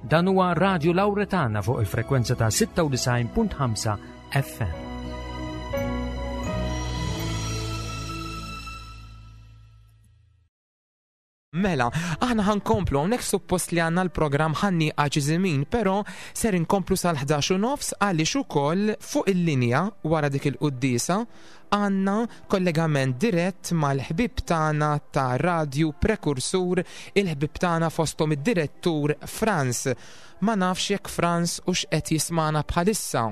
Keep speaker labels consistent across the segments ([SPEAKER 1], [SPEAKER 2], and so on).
[SPEAKER 1] Dan huwa Radio Lauretana fuq il-frekwenza ta' 96.5 FM.
[SPEAKER 2] Mela, aħna ħankomplu hawnhekk suppost li għandna l-programm ħanni żmien, però ser inkomplu sal-11 u nofs għaliex ukoll fuq il-linja wara dik il-quddiesa għandna kollegament dirett mal-ħbieb tagħna ta' Radju Prekursur, il-ħbieb tagħna fosthom id-direttur Frans. Ma nafx jekk Frans hux qed jismagħna bħalissa.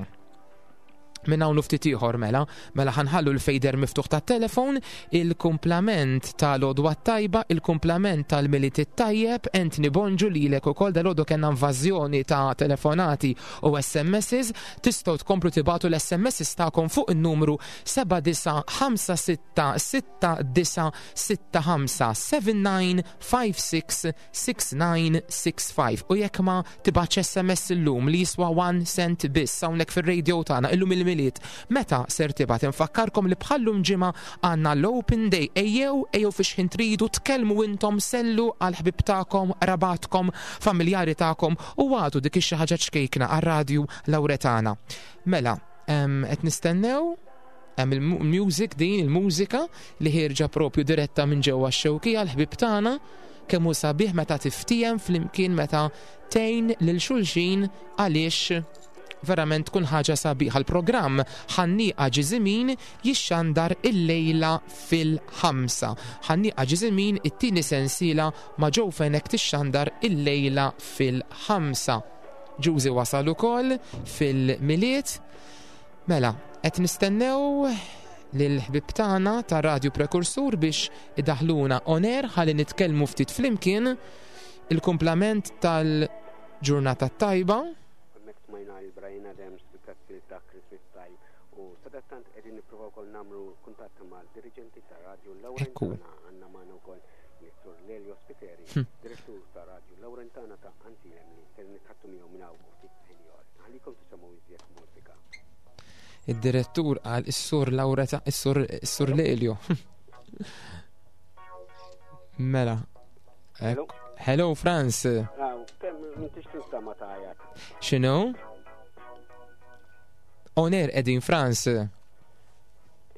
[SPEAKER 2] Minn hawn u ftit ieħor mela, mela ħanħallu l-fejder miftuħ tat-telefon, il-kumplament tal-għodwa t-tajba, il-kumplament tal-Milied it-tajjeb, Anthony Bonġu lilek ukoll dalgħodu kellna invażjoni ta' telefonati u SMSs, tistgħu tkomplu tibagħtu l-SMSs tagħkom fuq in-numru 79566965 7956 6965 u jekk ma tibgħatx SMS illum li jiswa 1 cent biss hawnhekk fir-radio tagħna illum il-Milied, meta ser tibgħat? Infakkarkom li bħallum ġimgħa għandna l-Open Day. Ejjew, ejjew fi xħin tridu, tkellmu intom, sellu għal ħbieb tagħkom, qrabatkom, familjari tagħkom u għadu dik ix-xi ħaġa ċkejkna għar-radju Lawretana. Mela, qed nistennew Hemm il-music din, il-mużika li ħierġa propju diretta minn ġewwa x-Xewkija l-ħbieb tagħna, kemm hu sabiħ meta tiftiehem flimkien meta tgħin lil xulxin għaliex verament tkun ħaġa sabiħa. L-programm Ħannieqa Ġiżimin jixxandar illejla fil-ħamsa. Ħannieqa Ġiżimin it-tieni sensiela ma' Joe Fenech tixxandar illejla fil-ħamsa. Ġużi wasal ukoll fil-Milied. Mela, qed nistennew lill-ħbieb tagħna ta' Radju Prekursur biex idaħluna on air ħalli nitkellmu ftit flimkien il-kumplament tal-ġurnata t-tajba.
[SPEAKER 3] Hemmhekk smajna lil Bryan Adams bil-pezzi ta' Christmas Time u sadattant qegħdin nippruvaw ukoll nagħmlu kuntatt mal-diriġenti ta' Radju Lawrentana għandna magħna wkoll lis-Sur Lelio Spiteri, hm. direttur ta' Radju Lawrentana ta' Antilem li ser nitħattu miegħu minn hawn u ftit ħin ieħor. Nħallikom tisimgħu iżjed mużika.
[SPEAKER 2] Id-direttur qal is-sur Laureta, is-sur is-sur Lelio. Mela.
[SPEAKER 3] Hello.
[SPEAKER 2] Hello Franz.
[SPEAKER 3] M'intix tinstama tajjeb.
[SPEAKER 2] X'inhu? Oner qegħdin Franz.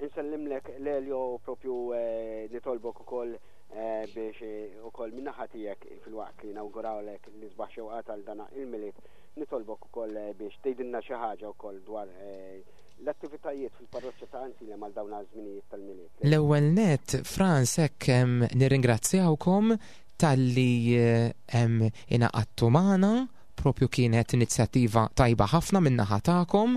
[SPEAKER 3] Insellimlek Lelio propju eh, nitolbok ukoll eh, biex eh, ukoll min-naħa tiegħek filwaqt li nawgurawlek l-isbaħ xewqat għal dana il-Milied Nitolbok ukoll biex tgħidilna xi ħaġa wkoll dwar l-attivitajiet fil-parroċċa ta' Għajnsielem għal dawn għaż-żminijiet tal-Milied.
[SPEAKER 2] L-ewwel nett, Frans, hekk nirringrazzjawkom talli ingħaqadtu magħna, propju kienet inizjattiva tajba ħafna min-naħa tagħkom.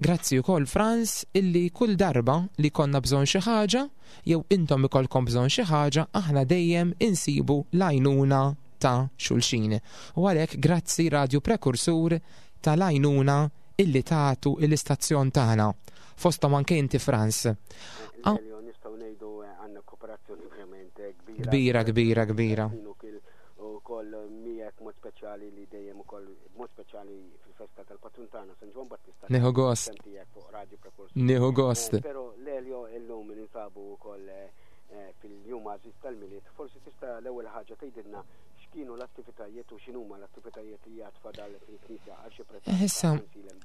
[SPEAKER 2] Grazzi wkoll Frans illi kull darba li jkollna bżonn xi ħaġa jew intom ikollkom bżonn xi ħaġa aħna dejjem insibu l-għajnuna ta' xulxin. U għalhekk grazzi Radju Prekursur tal-għajnuna illi tagħtu l-istazzjon tagħna. Fosthom anke inti Frans.
[SPEAKER 3] Elio, nistgħu ngħidu eh, għandna kooperazzjoni verament eh,
[SPEAKER 2] kbira. Kbira, kbira, kbira.
[SPEAKER 3] Ukoll miegħek mod speċjali li dejjem ukoll mod speċjali fil-festa tal-patrun tagħna San Ġwann Battista.
[SPEAKER 2] Nieħu gost. Nieħu gost.
[SPEAKER 3] Eh, però Lelio illum ninsabu wkoll fil-jum għażiż tal-Milied, forsi tista' l-ewwel ħaġa tgħidilna x'kienu l-attivitajiet u x'inhuma l-attivitajiet li għad fadal fil-Knisja Arċipriet
[SPEAKER 2] Issa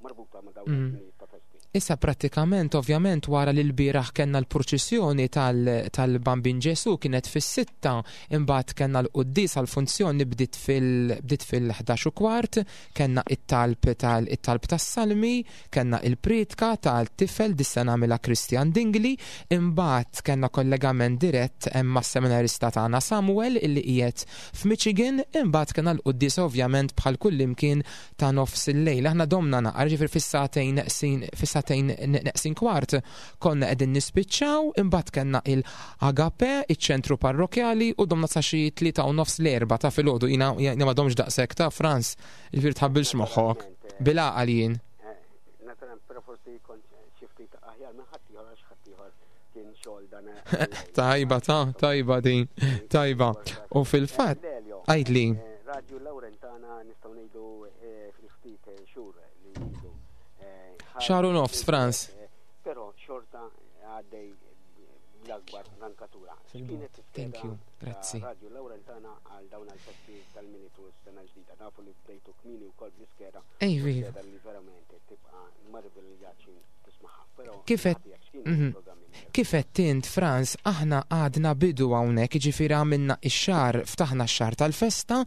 [SPEAKER 3] marbuta ma' dawn iż-żminijiet ta' festi.
[SPEAKER 2] Issa prattikament ovvjament wara li lbieraħ kellna l-purċissjoni tal-Bambin Ġesù kienet fis-sitta, imbagħad kellna l-quddiesa l-funzjoni bdiet fil bdiet fil-11 u kwart, kellna it-talb tal it-talb tas-salmi, Kellna il-prietka tal-tifel dis-sena għamilha Christian Dingli, imbagħad kellna kollegament dirett mas-seminarista tagħna Samuel illi qiegħed f'Michigan, imbagħad kellna l-quddiesa ovvjament bħal kullimkien ta' nofs il-lejl. Aħna domna naqra, ġifieri fis-sagħtejn neqsin fis-sagħtejn neqsin kwart konna qegħdin nispiċċaw, imbagħad kellna il-Agape, iċ-ċentru parrokjali u domna sa xi 3 u nofs l-erbgħa ta' filgħodu. Jiena ma domx daqshekk ta' Frans. Ġifieri tħabbilx moħħok. Bil-għaqal jien.
[SPEAKER 3] Naturalment, però forsi kont xi ftit aħjar minn ħaddieħor għax ħaddieħor kien xogħol dan.
[SPEAKER 2] Tajba ta' tajba din, tajba. U fil-fatt, għidli.
[SPEAKER 3] Radio Laurentana nistgħu ngħidu fil-ftit xhur li ilu.
[SPEAKER 2] Xahar u nofs, Frans.
[SPEAKER 3] Però xorta għaddej. bl-akbar rankatura. X'kienet
[SPEAKER 2] Thank
[SPEAKER 3] l-iskeda
[SPEAKER 2] you,
[SPEAKER 3] ta'
[SPEAKER 2] grazzi.
[SPEAKER 3] Radju Lawrentana għal dawn għall-festi tal-Milied u s-sena l-ġdida? Nafu li bdejtu kmieni wkoll bl-iskeda u
[SPEAKER 2] Ejvi.
[SPEAKER 3] skeda li verament tibqa' marviljaċi tismagħha. Però
[SPEAKER 2] Kif
[SPEAKER 3] min-naħa
[SPEAKER 2] qed
[SPEAKER 3] tiegħek x'kienu l-programmi li ser
[SPEAKER 2] Kif qed int Frans, aħna għadna bidu hawnhekk, jiġifieri għamilna x-xahar, ftaħna x-xahar tal-festa,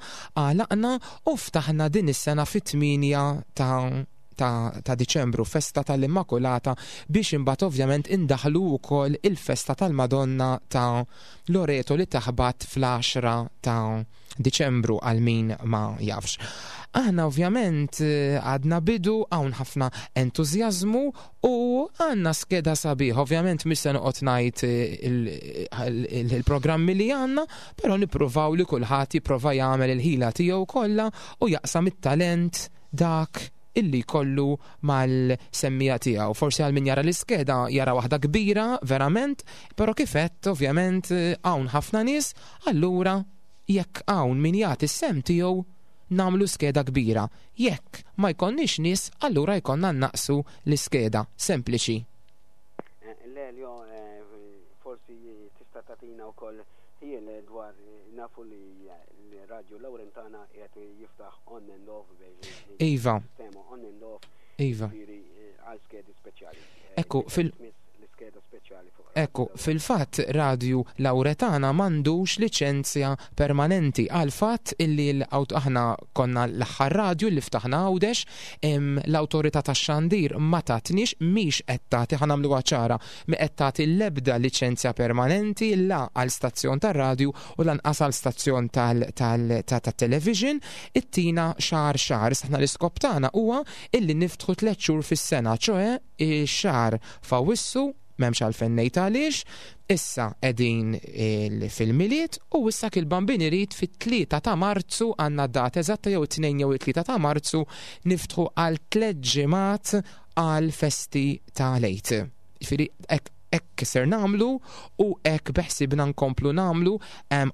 [SPEAKER 2] għalaqna u ftaħna din is-sena fit-8 ta' ta', ta Diċembru, festa tal-Immakulata, biex imbagħad ovvjament indaħlu wkoll il-festa tal-Madonna ta' Loreto li taħbat fl-10 ta' Diċembru għal min ma jafx. Aħna ovvjament għadna bidu, hawn ħafna entużjażmu u għandna skeda sabiħ. Ovvjament mhux se noqgħod ngħid il-programmi li għandna, però nippruvaw li kulħadd jipprova jagħmel il-ħila tiegħu kollha u jaqsam it-talent dak illi jkollu mal-semmija tiegħu. Forsi għal min jara l-iskeda jara waħda kbira verament, però kif għedt ovvjament hawn ħafna nies, allura jekk hawn min jagħti s-sem tiegħu nagħmlu skeda kbira. Jekk ma jkollniex nies, allura jkollna naqsu l-iskeda. Sempliċi.
[SPEAKER 3] Lelio, forsi tista' tagħtina wkoll ħjiel dwar nafu li l-Radio Lawrentana qiegħed jiftaħ on and off biex sistema on and off jiġifieri għal skedi speċjali.
[SPEAKER 2] Ekku, fil-
[SPEAKER 3] L-iskeda speċjali fuq
[SPEAKER 2] Ekku, fil-fatt Radju Lawretana m'għandux liċenzja permanenti għal fatt illi aħna konna l-aħħar radju li ftaħna Għawdex, l-awtorità tax-xandir ma tatniex, mhix qed tagħti, ħa nagħmluha ċara, mi qed tagħti l-ebda liċenzja permanenti la għal stazzjon tar-radju u lanqas għal stazzjon tat-television, ittina xahar xahar. Issa aħna l-iskop tagħna huwa illi niftħu 3 xhur fis-sena, ċoe x-xahar f'Awwissu, m'hemmx għalfejn ngħid għaliex, issa qegħdin fil-Milied u issa kil-Bambin irid fit-3 ta' Marzu, għandna data eżatta jew it-2 jew it-3 ta' Marzu niftħu għal 3 ġimgħat għal festi ta' Lejt. Jiġifieri hekk ser nagħmlu u hekk beħsibna nkomplu nagħmlu.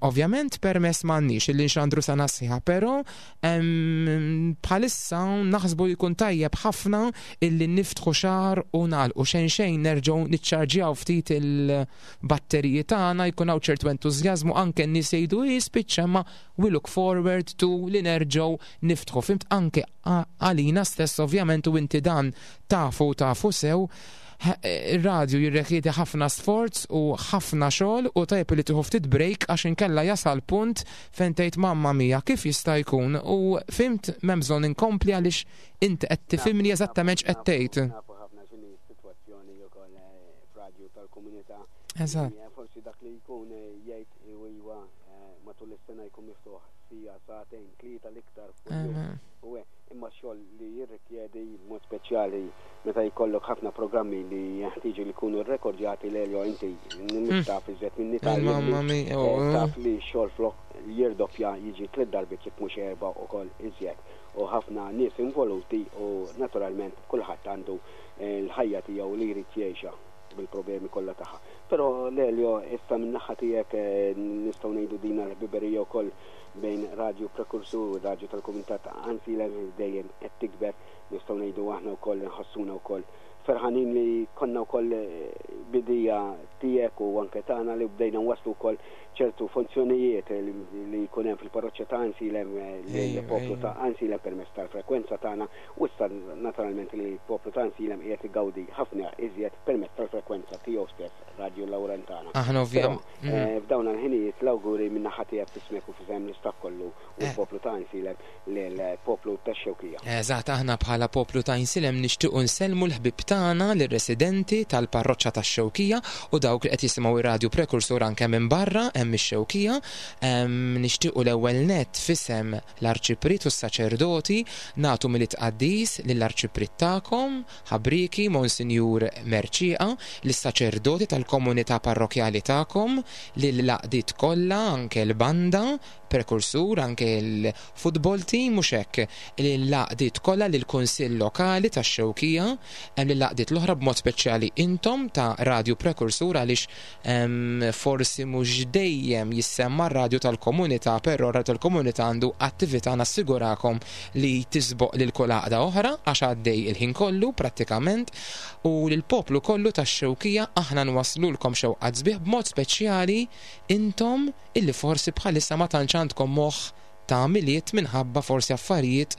[SPEAKER 2] Ovvjament permess m'għandniex illi nxandru sena sħiħa, però bħalissa naħsbu li jkun tajjeb ħafna illi niftħu xahar u nagħlqu xejn xejn nerġgħu niċċarġjaw ftit il-batteriji tagħna, jkun hawn ċertu entużjażmu, anke n-nies jgħidu jispiċċa, ma we look forward to li nerġgħu niftħu. Fimt, anke għalina stess ovvjament, u inti dan tafu sew, ir-radju jirrekjedi ħafna sforz u ħafna xogħol u tajjeb li tieħu ftit break għax inkella jasal punt fejn tgħid mamma mia kif jista' jkun, u fimt m'hemm bżonn inkompli għaliex inti qed tifhimni eżattament x'qed tgħid.
[SPEAKER 3] Nafu ħafna x'inhi s-sitwazzjoni wkoll f'radju tal-komunità.
[SPEAKER 2] Eżatt.
[SPEAKER 3] Forsi dak li jkun jgħid iwa matul is-sena jkun miftuħ sija, sagħtejn, tlieta l-iktar kuljum. U imma xogħol li jirrikjedi b'mod speċjali meta jkollok ħafna programmi li jeħtieġu li jkunu rrekordjati, Lelio, inti mhux taf iżjed minni
[SPEAKER 2] Mamma mia, oh.
[SPEAKER 3] taf li x-xogħol flok jirdoppja jiġi 3 darbiet jekk mhux 4 ukoll iżjed, u ħafna nies involuti u naturalment kulħadd għandu l-ħajja tiegħu li jrid jgħixha bil-problemi kollha tagħha. Però Lelio, issa min-naħa tiegħek nistgħu ngħidu din l-ħbiberija wkoll bejn Radio Prekursur u Radio tal-Komunità ta' Għajnsielem dejjem qed tikber, nistgħu ngħidu aħna wkoll nħossuna wkoll ferħanin li konna wkoll bidija tiegħek u anke tagħna li bdejna nwasslu wkoll ċertu funzjonijiet li jkun hemm fil-parroċċa ta' Għajnsielem lill-poplu ta' Għajnsielem permezz tal-frekwenza tagħna, u issa naturalment li l-poplu ta' Għajnsielem qiegħed igawdi ħafna iżjed permezz tal-frekwenza tiegħu stess, Radio Lawrentana.
[SPEAKER 2] Aħna ovvjament.
[SPEAKER 3] F'dawn il-ħinijiet l-awguri min-naħa tiegħek f'ismek u f'isem l-istaff kollu u l-poplu ta' Għajnsielem lill-poplu tax-Xewkija.
[SPEAKER 2] Eżatt, aħna bħala poplu ta' Għajnsielem nixtiequ nsellmu l-ħbieb tagħna lir-residenti tal-parroċċa tax-Xewkija u dawk li qed jisimgħu ir-Radio Prekursur anke minn barra hemm ix-Xewkija. Nixtiequ l-ewwel nett f'isem l-Arċipriet u s-saċerdoti nagħtu Milied Qaddis lill-Arċipriet tagħkom, Ħabrieki Monsinjur Mercieca, lis-saċerdoti tal-komunità parrokjali tagħkom, lill-għaqdiet kollha, anke l-banda, Prekursur, anke l-football team, mhux hekk, lill-għaqdiet kollha, lill-Kunsill Lokali tax-Xewkija, lill lill-għaqdiet l-oħra b'mod speċjali intom ta' Radju Prekursur għaliex forsi mhux dejjem jissemma r-radju tal-komunità, però r-radju tal-komunità għandu attività nassigurakom li tisboq lil kull għaqda oħra għax għaddej il-ħin kollu prattikament u lill-poplu kollu tax-Xewkija aħna nwasslulkom xewqat sbieħ b'mod speċjali intom illi forsi bħalissa ma tantx għandkom moħħ ta' Milied minħabba forsi affarijiet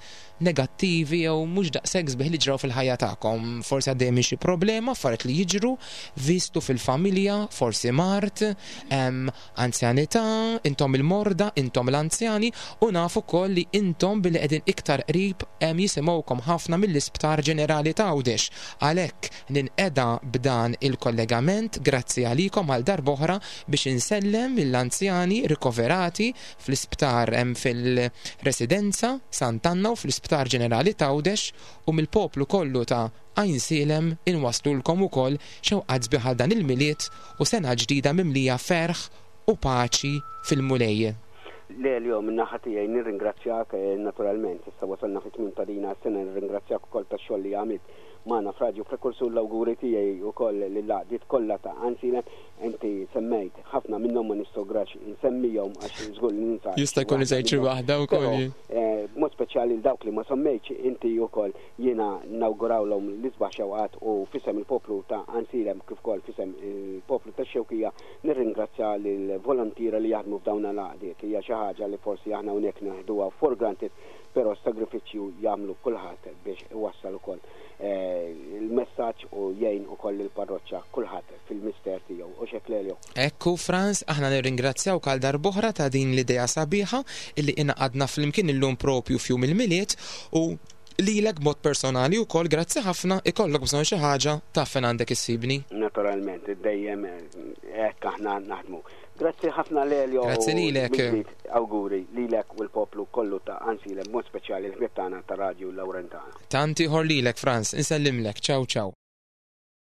[SPEAKER 2] negattivi jew mhux daqshekk sbieħ li ġraw fil-ħajja tagħkom. Forsi għaddejja minn xi problema, affarijiet li jiġru, vistu fil-familja, forsi mard, anzjanità, intom il-morda, intom l-anzjani, u naf ukoll li intom billi qegħdin iktar qrib jisimgħukom ħafna mill-Isptar Ġenerali t'Għawdex. Għalhekk ninqeda b'dan il-kollegament, grazzi għalikom għal darb'oħra biex insellem lill-anzjani rikoverati fl-isptar hemm fil-Residenza Sant'Anna u fl-Isptar Ġenerali t'Għawdex u mill-poplu kollu ta' Għajnsielem inwasslulkom ukoll xewqat sbieħ għal dan il-Milied u sena ġdida mimlija ferħ u paċi fil-Mulej.
[SPEAKER 3] Lelio, min-naħa tiegħi nirringrazzjak, naturalment issa wasalna fit-tmiem ta' dina s-sena nirringrazzjak ukoll tax-xogħol li għamilt magħna f'Radju Prekursur l-awguri tiegħi wkoll lill-għaqdiet kollha ta' Għajnsielem. Inti semmejt ħafna minnhom ma nistograx insemmihom għax żgur li ninsa.
[SPEAKER 2] Jista' jkun li sejt xi waħda wkoll.
[SPEAKER 3] Eh, b'mod speċjali l dawk li ma semmejtx inti wkoll jiena nawgurawlhom l-isbaħ xewqat u fisem il-poplu ta' Għajnsielem kif ukoll fisem il-poplu tax-Xewkija nirringrazzja lill-volontiera li jaħdmu f'dawn l-għaqdiet. Hija xi ħaġa li forsi aħna hawnhekk neħduha for granted però s-sagrifiċċju jagħmlu kulħadd biex iwassal ukoll eh, il-messaġġ u jgħin ukoll lill-parroċċa kulħadd fil-mister tiegħu. U x'hekk Lelio?
[SPEAKER 2] Ekku Frans, aħna nirringrazzjawk għal darb'oħra ta' din l-idea sabiħa illi ingħaqadna flimkien illum propju f'jum il-Milied u lilek b'mod personali wkoll grazzi ħafna, ikollok bżonn xi ħaġa taf fejn għandek issibni.
[SPEAKER 3] Naturalment, dejjem hekk aħna naħdmu. Grazzi ħafna Lelio.
[SPEAKER 2] Grazzi lilek.
[SPEAKER 3] Awguri lilek u l-poplu kollu ta' Għajnsielem, b'mod speċjali l-ħbieb tagħna ta' Radju Lawrentana.
[SPEAKER 2] Tant ieħor lilek Frans, insellimlek. Ciao ciao.